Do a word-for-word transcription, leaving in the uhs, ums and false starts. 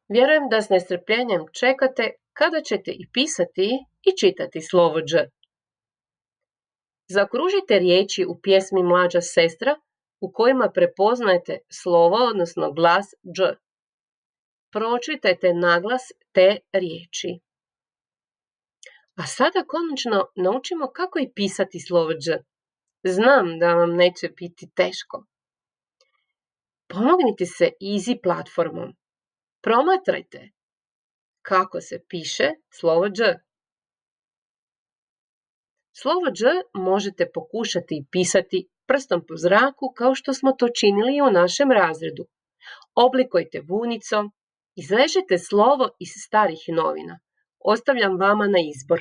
Vjerujem da s nestrpljenjem čekate kada ćete i pisati i čitati slovo Đ. Zaokružite riječi u pjesmi Mlađa sestra u kojima prepoznajete slovo, odnosno glas Đ. Pročitajte naglas te riječi. A sada konačno naučimo kako i pisati slovo Đ. Znam da vam neće biti teško. Pomognite se Easy platformom. Promatrajte kako se piše slovo Đ. Slovo Đ možete pokušati pisati prstom po zraku kao što smo to činili i u našem razredu. Oblikujte vunicom, izrežite slovo iz starih novina. Ostavljam vama na izbor.